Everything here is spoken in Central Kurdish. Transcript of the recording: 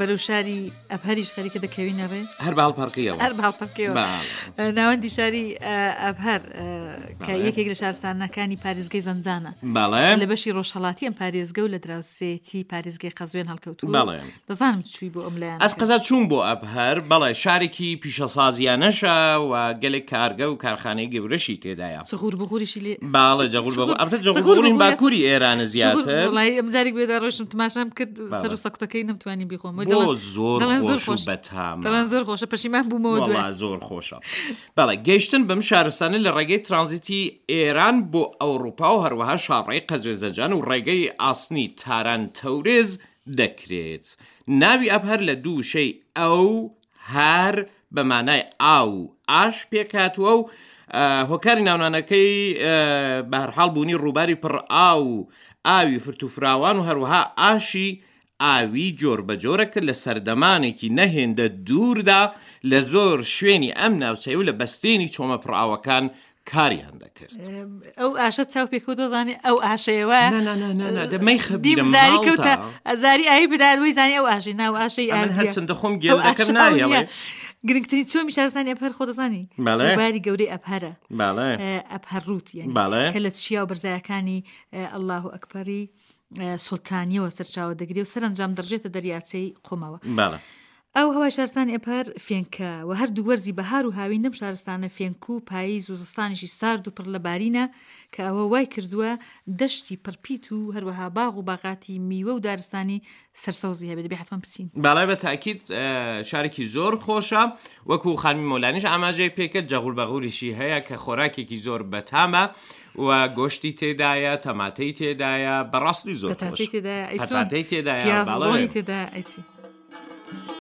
بەرەو شاری ئەبهەریش خەریکە دەکەوینە ڕێ. هەر بە هەڵپەڕکێیەوە. هەر بە هەڵپەڕکێیەوە. ناوەندی شاری ئەبهەر کە یەکێک لە شارستانەکانی پارێزگەی زەنجانە. بەڵێ. لە بەشی ڕۆژهەڵاتی ئەم پارێزگە و لە دراوسێتی پارێزگەی قەزوێن هەڵکەوتووە. بەڵێ. دەزانم چووی بۆ ئەم لایەنە. ئەز قەزا چووم بۆ ئەبهەر، بەڵێ شارێکی پیشەسازیانەشە و گەلێک کارگە و کارخانەی گەورەشی تێدایە. جغور بغوریشی لێ. بەڵێ جغور بغور. ئەبتە جغور بغوری باکووری ئێرانە زیاتر. وەڵایی ئەم جارێک بێدا ڕۆیشتم تماشام کرد سەر و سەکوتەکەی نەمتوانی بیخۆم. بۆ زۆر خۆش و بەتامە. دەڵێن زۆر خۆشە پەشیمان بوومەوە دوای. وەڵا زۆر خۆشە. بەڵێ گەیشتن بەم شارستانە لە ڕێگەی ترانزیتی ئێران بۆ ئەوڕوپا و هەروەها شاڕێی قەزوێن-زەنجان و ڕێگەی ئاسنی تاران-تەورێز دەکرێت. ناوی ئەبهەر لە دوو وشەی ئەو، هەر، بە مانای ئاو و ئاش پێکهاتووە و هۆکاری ناونانەکەی بەهەرحاڵ بوونی ڕووباری پڕ ئاو و ئاوی فرت و فراوان و هەروەها ئاشی ئاوی جۆربەجۆرە کە لە سەردەمانێکی نە هێندە دووردا لە زۆر شوێنی ئەم ناوچەیە و لە بەستێنی چۆمە پڕئاوەکان کاریان دەکرد. ئەو ئاشە چاو پێکەوت دەزانێ ئەو ئاشەیە وایە؟ نا نا نا نا نا دە مەیخە بیرم زاری کەوتە ئەزاری ئاوی بدات وەی زانی ئەو ئاشەی ناو ئاشەی ئەمن هەرچەندە خۆم گێل دەکەم نایەڵێ. گرنگترین چۆمی شارستانی ئەبهەر خۆ دەزانی بەڵێ ڕووباری گەورەی ئەبهەرە بەڵێ ئەبهەر ڕووت یانی بەڵێ کە لە چیا و بەرزایەکانی ئەڵڵاهو ئەکبەری سوڵتانیەوە سەرچاوە دەگرێ و سەرەنجام دەڕژێتە دەریاچەی قومەوە. بەڵێ. ئاو هەوای شارستانی ئەپەر فێنکە و هەردوو وەرزی بەهار و هاوین لەم شارستانە فێنک و پاییز و زستانیشی سارد و پڕ لە بارینە کە ئەوە وای کردووە دەشتی پڕپیت و هەروەها باغ و باغاتی میوە و دارستانی سەرسەوزی هەبێت دەبێ حەتمەن بچین. بەڵێ بە تاکید شارێکی زۆر خۆشە وەکو خانمی مۆلانیش ئاماژەی پێکرد جەغول بەغوریشی هەیە کە خۆراکێکی زۆر بەتامە و گۆشتی تێدایە تەماتەی تێدایە بەڕاستی زۆر پەتاتەی تێدایە پەتاتەی تێدایە بەڵێ. تێدایە ئەی چی.